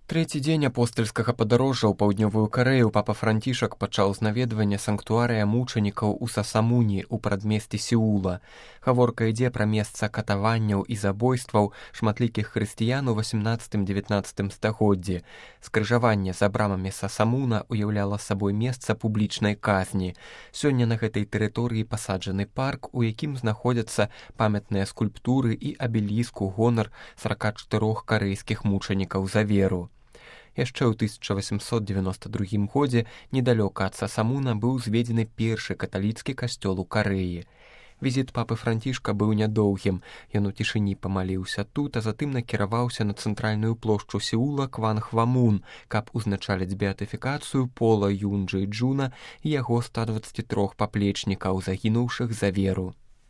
Трэці дзень апостальскага падарожжа ў паўднёвую Карэю папа Францішак пачаў з наведвання санктуарыя мучанікаў у Сасамуні ў прадмесці Сеула. Гаворка ідзе пра месца катаванняў і забойстваў шматлікіх хрысціян у 18-19 стагоддзі. Скрыжаванне за брамамі Сасамуна уяўляла сабой месца публічнай казні. Сёння на гэтай тэрыторыі пасаджаны парк, у якім знаходзяцца памятныя скульптуры і абеліск у гонар 44 карэйскіх мучанікаў за веру. Яшчэ ў 1892 годзе недалёка ад Сасамуна быў зведзены першы каталіцкі касцёл у Карэі. Візіт папы Францішка быў нядоўгім. Ён у цішыні памаліўся тут, а затым накіраваўся на цэнтральную плошчу Сеула Кванхвамун, каб узначаліць беатыфікацыю Пола Юнджы Джуна і яго 123 паплечнікаў, загінуўшых за веру.